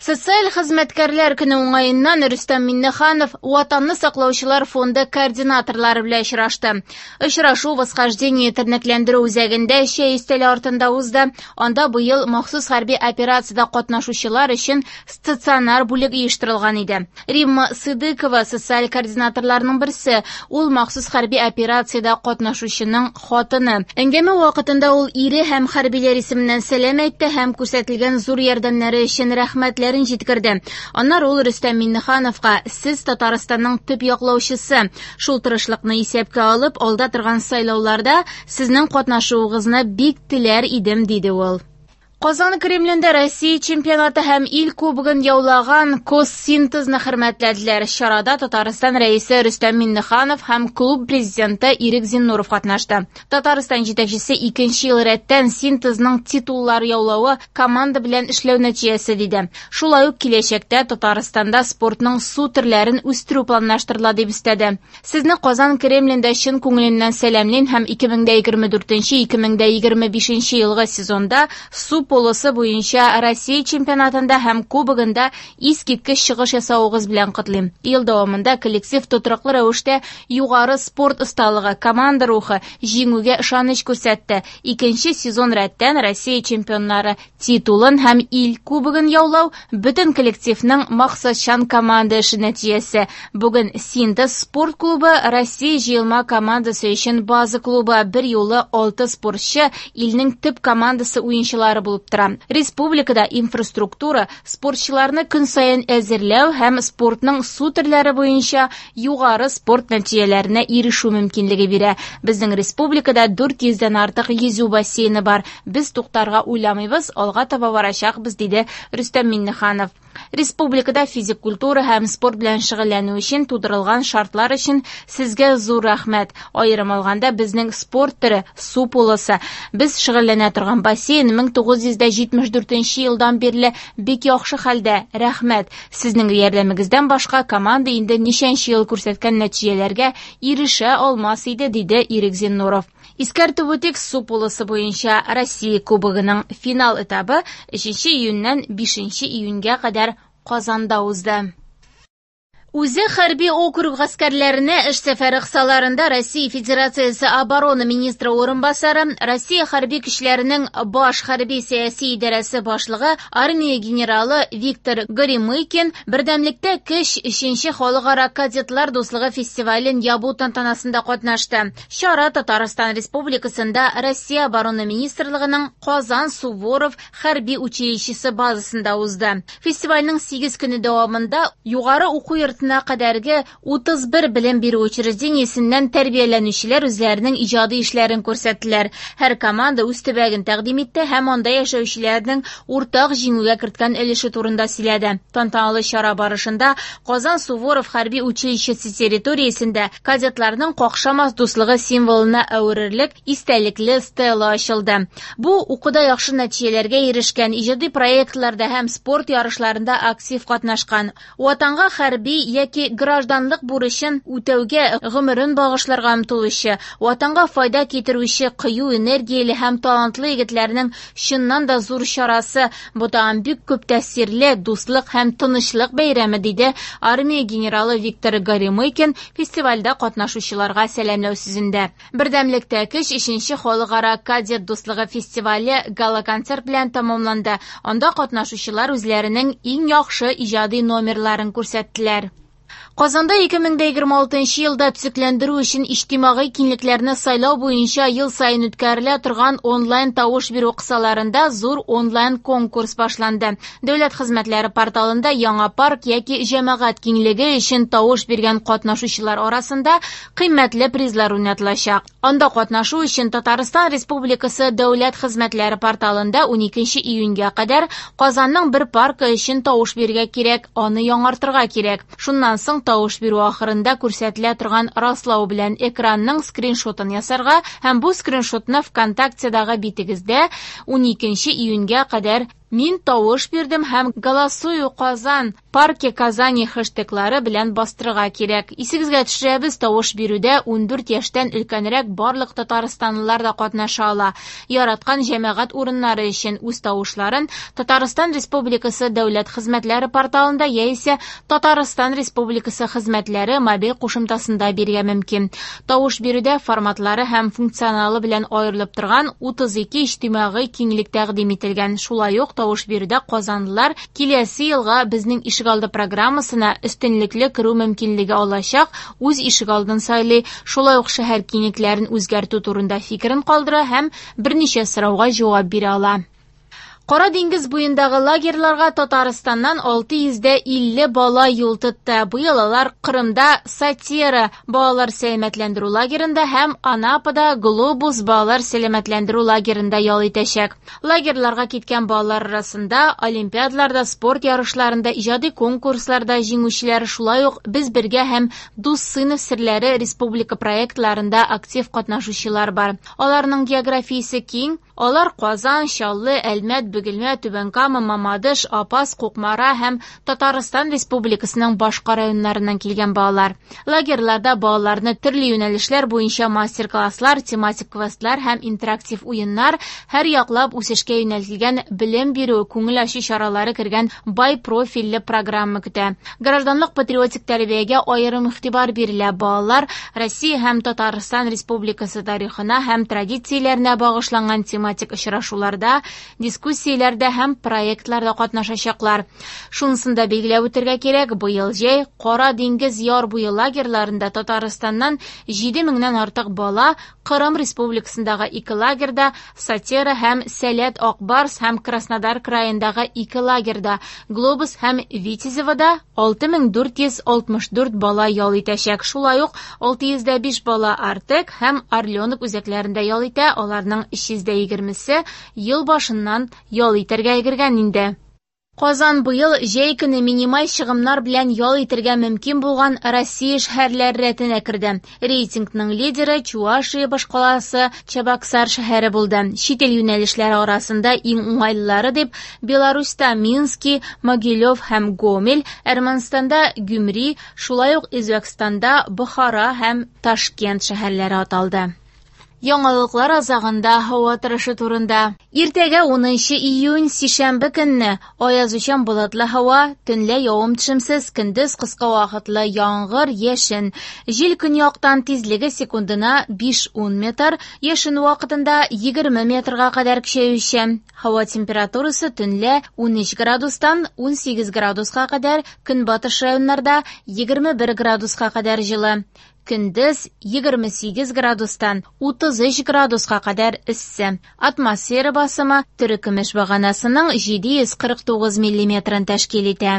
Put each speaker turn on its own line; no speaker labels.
Социаль хезмәткәрләр көне уңаеннан Рөстәм Миңнеханов Ватанны саклаучылар фонды координаторлары белән очрашты. Очрашу Восхождение тернәкләндерү үзәгендә чәй өстәле артында узды. Анда быел махсус хәрби операциядә катнашучылар өчен стационар бүлек оештырылган иде. Римма Сыдыкова социаль координаторларның берсе. Ул махсус хәрби операциядә катнашучының хатыны. Әңгәмә вакытында ул ире һәм хәрбиләр исеменнән сәлам әйтте һәм күрсәтелгән зур ярдәмнәре өчен рәхмәтләрен җиткерде. Аннары ул Рөстәм Миңнехановка: "Сез Татарстанның төп яклаучысы. Шул тырышлыкны исәпкә алып, алда торган сайлауларда сезнең катнашуыгызны бик теләр идем", диде ул. Казан Кремлендә Россия чемпионаты һәм ил кубогын яулаган Коссинтезны хөрмәтләделәр. Чарада Татарстан Рәисе Рөстәм Миңнеханов һәм клуб президенты Ирек Зиннуров катнашты. Татарстан җитәкчесе икенче ел рәттән Синтезның титуллар яулавы команда белән эшләү нәтиҗәсе диде. Шулай ук киләчәктә Татарстанда спортның су төрләрен үстерү планлаштырыла дип өстәде. Сезне Казан Кремлендә чын күңеленнән сәламлим һәм 2024-2025 елгы сезонда су полосы буенча Россия чемпионатында һәм кубогында искиткеч чыгыш ясавыгыз белән котлыйм. Ел дәвамында коллектив тотрыклы рәвештә югары спорт осталыгы, команда рухы, җиңүгә ышаныч күрсәтте. Икенче сезон рәттән Россия чемпионнары титулын һәм ил кубогын яулау бөтен коллективның максатчан команда эше нәтиҗәсе. Бүген Синтез спорт клубы Россия җыелма командасы өчен база клубы, бер юлы 6 спортчы илнең төп командасы уенчылары булып тора. Республикада инфраструктура спортчыларны көн саен әзерләү һәм спортның су төрләре буенча югары спорт нәтиҗәләренә ирешү мөмкинлеге бирә. Безнең республикада 400дән артык йөзү бассейны бар. Без туктарга уйламыйбыз, алга таба барачакбыз, диде Рөстәм Миңнеханов. Республикада физик культура һәм спорт белән шөгыльләнү өчен тудырылган шартлар өчен сезгә зур рәхмәт. Аерым алганда, безнең спорт төре су полосы. Без шөгыльләнә торган бассейн 1974 елдан бирле бик яхшы хәлдә. Рәхмәт. Сезнең ярдәмегездән башка команда инде ничәнче ел күрсәткән нәтиҗәләргә ирешә алмас иде, диде Ирек Зиннуров. Искәртеп үтик, су полосы буенча Россия кубогының финал этабы 3 июньнән 5 июньгә кадәр Казанда узды. Үзе хәрби округ гаскәрләренә эш сәфәре кысаларында Россия Федерациясе оборона министры урынбасары, Россия хәрби көчләренең баш хәрби сәяси идарәсе башлыгы, армия генералы Виктор Горемыкин Бердәмлектә көч 3нче халыкара кадетлар дуслыгы фестивален ябу тантанасында катнашты. Чара Татарстан Республикасында Россия оборона министрлыгының Казан Суворов хәрби училищесы базасында узды. Фестивальнең 8 көне дәвамында югары уку йортына кадәрге 31 белем бирү учреждениесеннән тәрбияләнүчеләр үзләренең иҗади эшләрен күрсәттеләр. Һәр команда үз төбәген тәкъдим итте һәм анда яшәүчеләрнең уртак җиңүгә керткән өлеше турында сөйләде. Тантаналы чара барышында Казан Суворов хәрби училищесы территориясендә кадетларның какшамас дуслыгы символына әверелерлек истәлекле стела ачылды. Бу укуда яхшы нәтиҗәләргә ирешкән, иҗади проектларда һәм спорт ярышларында актив катнашкан, Ватанга хәрби яки гражданлык бурычын үтәүгә гомерен багышларга омтылучы, Ватанга файда китерүче кыю, энергияле һәм талантлы егетләрнең чыннан да зур чарасы. Бу тагын бик күп тәэсирле дуслык һәм тынычлык бәйрәме, диде армия генералы Виктор Горемыкин фестивальдә катнашучыларга сәламләү сүзендә. Бердәмлектә көч 3нче халыкара кадет дуслыгы фестивале гала-концерт белән тәмамланды. Анда катнашучылар үзләренең иң яхшы иҗади номерларын күрсәттеләр. Казанда 2026 елда төзекләндерү өчен иҗтимагый киңлекләрне сайлау буенча ел саен үткәрелә торган онлайн тавыш бирү кысаларында зур онлайн конкурс башланды. Дәүләт хезмәтләре порталында яңа парк яки җәмәгать киңлеге өчен тавыш биргән катнашучылар арасында кыйммәтле призлар уйнатылачак. Анда катнашу өчен Татарстан Республикасы Дәүләт хезмәтләре порталында 12 июньгә кадәр Казанның бер паркы өчен тавыш бирергә кирәк, аны яңартырга кирәк. Шуннан соң тавыш бирү ахырында күрсәтелә торган раслау белән экранның скриншотын ясарга һәм бу скриншотны ВКонтактедагы битегездә 12 июньгә кадәр Мин тавыш бирдем һәм Голосую Казан, Парки Казани хэштеглары белән бастырырга кирәк. Исегезгә төшерәбез, тавыш бирүдә 14 яшьтән өлкәнрәк барлык татарстанлылар да катнаша ала. Яраткан җәмәгать урыннары өчен үз тавышларын Татарстан Республикасы Дәүләт хезмәтләре порталында яисә Татарстан Республикасы хезмәтләре мобиль кушымтасында бирергә мөмкин. Тавыш бирүдә форматлары һәм функционалы белән аерылып торган 32 иҗтимагый киңлек тәкъдим ителгән. Шулай ук тавыш бирүдә казанлылар киләсе елга Безнең ишегалды программасына өстенлекле керү мөмкинлеге алачак, үз ишегалдын сайлый, шулай ук шәһәр киңлекләрен үзгәртү турында фикерен калдыра һәм берничә сорауга җавап бирә ала. Кара диңгез буендагы лагерьларга Татарстаннан 650 бала юл тотты. Быел алар Кырымда Сатира балалар сәламәтләндерү лагерында һәм Анапада Глобус балалар сәламәтләндерү лагерында ял итәчәк. Лагерьларга киткән балалар арасында олимпиадаларда, спорт ярышларында, иҗади конкурсларда җиңүчеләр, шулай ук Без бергә һәм Дус сыйныф серләре республика проектларында актив катнашучылар бар. Аларның географиясе киң, Алар Казан, Чаллы, Әлмәт, Бөгелмә, Түбән Кама, Мамадыш, Апас, Кукмара һәм Татарстан Республикасының башка районнарыннан килгән балалар. Лагерьларда балаларны төрле юнәлешләр буенча мастер-класслар, тематик квестлар һәм интерактив уеннар, һәрьяклап үсешкә юнәлтелгән белем бирү, күңел ачу чаралары кергән бай профильле программа көтә. Гражданлык-патриотик тәрбиягә аерым игътибар бирелә. Балалар Россия һәм Татарстан Республикасы тарихына һәм традицияләренә багышланган тематик очрашуларда, дискуссияләрдә һәм проектларда катнашачаклар. Шунысын да билгеләп үтәргә кирәк, быел җәй Кара диңгез яр буе лагерьларында Татарстаннан 7 меңнән артык бала Кырым Республикасындагы ике лагерьда, Сатера һәм Сәләт Ак Барс һәм Краснодар краендагы ике лагерьда, Глобус һәм Витязевода 6464 бала ял итәчәк. Шулай ук 605 бала Артек һәм Орленок үзәкләрендә ял итә, аларның 320-се ел башыннан ял итәргә өлгергән инде. Казан быел җәй көне минималь чыгымнар белән ял итәргә мөмкин булган Россия шәһәрләре рәтенә керде. Рейтингның лидеры Чувашия башкаласы Чабаксар шәһәре булды. Чит ил юнәлешләре арасында иң уңайлылары дип Беларусьта Мински, Могилев һәм Гомель, Әрмәнстанда Гюмри, шулай ук Үзбәкстанда Бохара һәм Ташкент шәһәрләре аталды. Яңалыклар азагында һава торышы турында. Иртәгә 10 июнь сишәмбе көнне аязучан болытлы һава, төнлә явым-төшемсез, көндез кыска вакытлы яңгыр, яшен. Җил көньяктан тизлеге секундына 5-10 метр, яшен вакытында 20 метрга кадәр көчәючән. Һава температурасы төнлә 13 градустан 18 градуска кадәр, көнбатыш районнарда 21 градуска кадәр җылы. Көндез 28 градустан 33 градуска кадәр эссе. Атмосфера басымы терекөмеш баганасының 749 миллиметрын тәшкил итә.